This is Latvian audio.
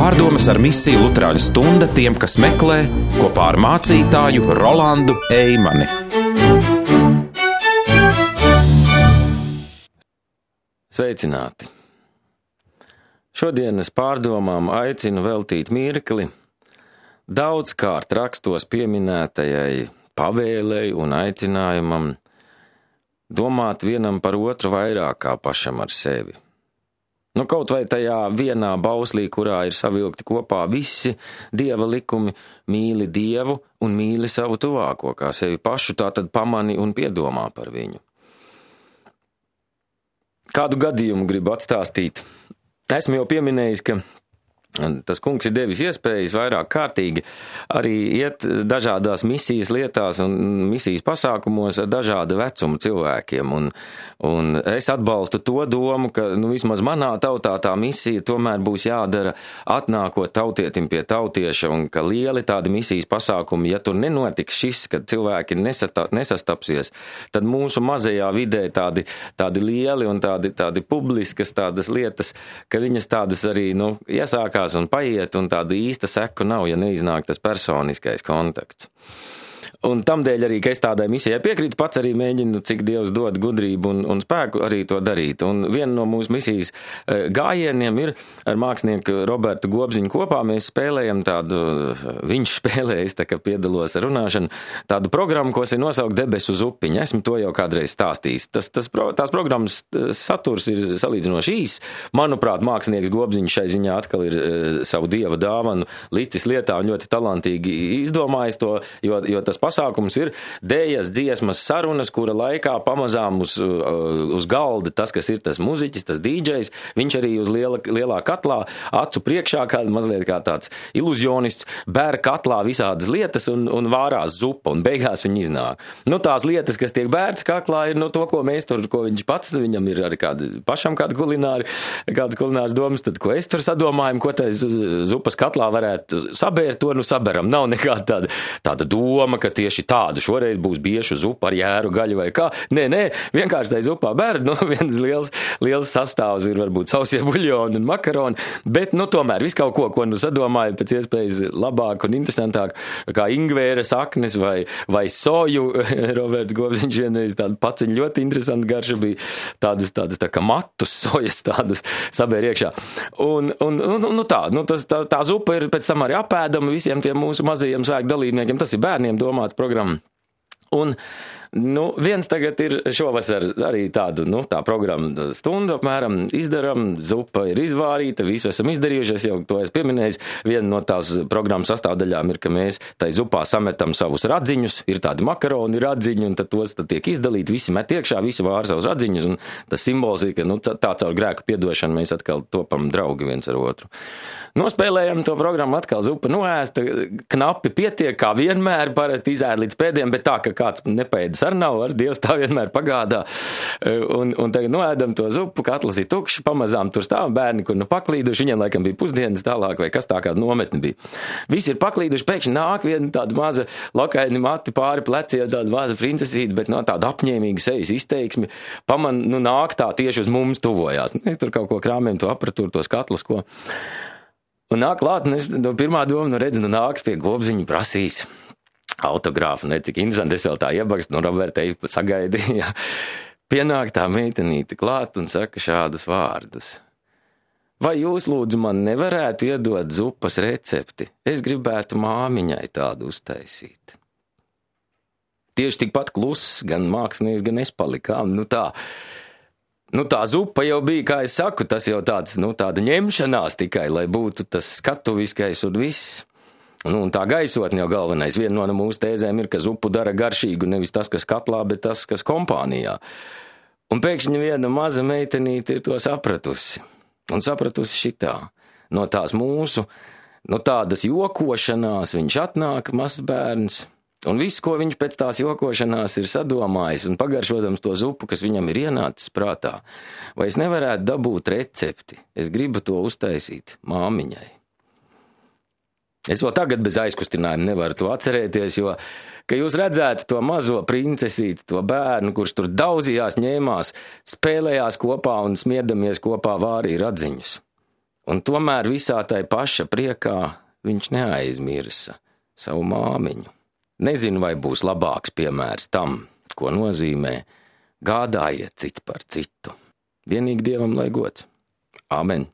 Pārdomas ar misiju Luterāņu stunda tiem, kas meklē, kopā ar mācītāju Rolandu Eimani. Sveicināti! Šodienas pārdomām aicinu veltīt mirkli daudzkārt rakstos pieminētajai pavēlei un aicinājumam domāt vienam par otru vairāk kā pašam ar sevi. Kaut vai tajā vienā bauslī, kurā ir savilkti kopā visi Dieva likumi, mīli Dievu un mīli savu tuvāko kā sevi pašu, tātad pamani un piedomā par viņu. Kādu gadījumu gribu atstāstīt? Esmu jau pieminējis, ka tas kungs ir devis iespējas vairāk kārtīgi arī iet dažādās misijas lietās un misijas pasākumos ar dažādu vecumu cilvēkiem. Un es atbalstu to domu, ka vismaz manā tautā tā misija tomēr būs jādara atnākot tautietim pie tautieša, un ka lieli tādi misijas pasākumi, ja tur nenotiks šis, kad cilvēki nesastapsies, tad mūsu mazajā vidē tādi lieli un tādi publiskas tādas lietas, ka viņas tādas arī iesākās un paiet, un tāda īsta seku nav, ja neiznāk tas personiskais kontakts. Un tamdēļ arī, ka es tādai misijai piekrītu, pats arī mēģinu, cik Dievs dod gudrību un spēku arī to darīt. Un viena no mūsu misijas gājieniem ir ar mākslinieku Robertu Gobziņu kopā. Mēs spēlējam tādu, viņš spēlēja, es tā kā piedalos ar runāšanu, tādu programmu, ko ir nosaukt Debesu zupiņa. Esmu to jau kādreiz stāstījis. Tās programmas saturs ir salīdzinoši īs. Manuprāt, mākslinieks Gobziņš šai ziņā atkal ir savu Dieva dāvanu licis lietā un ļoti talantīgi izdomājis to, jo tas pasākums ir dējas, dziesmas, sarunas, kura laikā pamazām uz galda tas, kas ir tas muziķis, tas dīdžejs, viņš arī uz lielā katlā acu priekšā, mazliet kā tāds iluzionists, bēr katlā visādas lietas un vārās zupa, un beigās viņi iznāk. Tās lietas, kas tiek bērts kaklā, ir to, ko mēs tur, ko viņš pats, viņam ir arī pašam kādas kulināras domas, tad ko es tur sadomājam, ko tā zupas katlā varētu sabērt, to saberam. Nav nekāda tāda doma, ka tieši tādu šoreiz būs biešu zupa ar jēru gaļu vai kā. Nē, vienkārši tai zupā bērd, viens liels sastāvs ir varbūt sausie buļļoni un makaroni, bet tomēr visu kaut ko sadomājot pēc iespējas labāk un interesantāk, kā ingvēra saknes vai soju. Roberts Gobziņš vienreiz tādu paciņu ļoti interesantu garšu bija, tādas tā kā matus sojas tādas sabēr iekšā. Tā zupa ir pēc tam arī apēdama visiem tiem mūsu mazajiem svēku dalībniekiem, tas ir bērniem domāts programma. Un viens tagad ir šovasar arī tādu, tā programma stundu apmēram izdaram, zupa ir izvārīta, visu esam izdarījuši, es jau to esmu pieminējis. Viena no tās programmas sastāvdaļām ir, ka mēs tai zupā sametam savus radziņus, ir tādi makaroni radziņi, un tad tos tiek izdalīti, visi met iekšā, visi vār savus radziņus, un tas simbols ir, ka tā caur grēku piedošanu mēs atkal topam draugi viens ar otru. Nospēlējam to programmu, atkal zupa noēsta, knapi pietiek, kā vienmēr, parasti izēd līdz pēdējiem, bet tā, ka kāds nepēdas ar nav, ar Dievs tā vienmēr pagādā. Un tagad noēdam to zupu, katls ir tukšs, pamazām tur stāv bērni, kur paklīduši, viņiem laikam bija pusdienas tālāk, vai kas tā kāda nometne bija. Visi ir paklīduši, pēkšņi nāk viena tāda maza lokaini mati pāri pleciem, tāda maza princesīte, bet tāda apņēmīga sejas izteiksmi, nāk tā tieši uz mums tuvojās. Mēs tur kaut ko krāmējam, to aparatūru, tos katlas, ko. Un nāk klāt, un es pirmā doma, redzu, nāks pie Gobziņa prasīs autogrāfu, cik interesanti, es vēl tā iebakstu, Roberta sagaidīja. Pienāk tā meitenīte klāt un saka šādus vārdus. Vai jūs, lūdzu, man nevarētu iedot zupas recepti? Es gribētu māmiņai tādu uztaisīt. Tieši tikpat kluss, gan mākslinieks, gan es palikām, tā. Tā zupa jau bija, kā es saku, tas jau tāda ņemšanās tikai, lai būtu tas skatuviskais un viss. Un tā gaisotne jau galvenais. Viena no mūsu tēzēm ir, ka zupu dara garšīgu, nevis tas, kas katlā, bet tas, kas kompānijā. Un pēkšņi viena maza meitenīte ir to sapratusi. Un sapratusi šitā. No tās mūsu, tādas jokošanās viņš atnāk, mazs bērns. Un viss, ko viņš pēc tās jokošanās ir sadomājis un pagaršodams to zupu, kas viņam ir ienācis prātā, vai es nevarētu dabūt recepti, es gribu to uztaisīt māmiņai. Es vēl tagad bez aizkustinājuma nevaru to atcerēties, jo, ka jūs redzētu to mazo princesīti, to bērnu, kurš tur daudzījās, ņēmās, spēlējās kopā un smiedamies kopā vārīja radziņus. Un tomēr visā tai paša priekā viņš neaizmirsa savu māmiņu. Nezinu, vai būs labāks piemērs tam, ko nozīmē gādājiet cits par citu. Vienīgi Dievam lai gods. Āmen.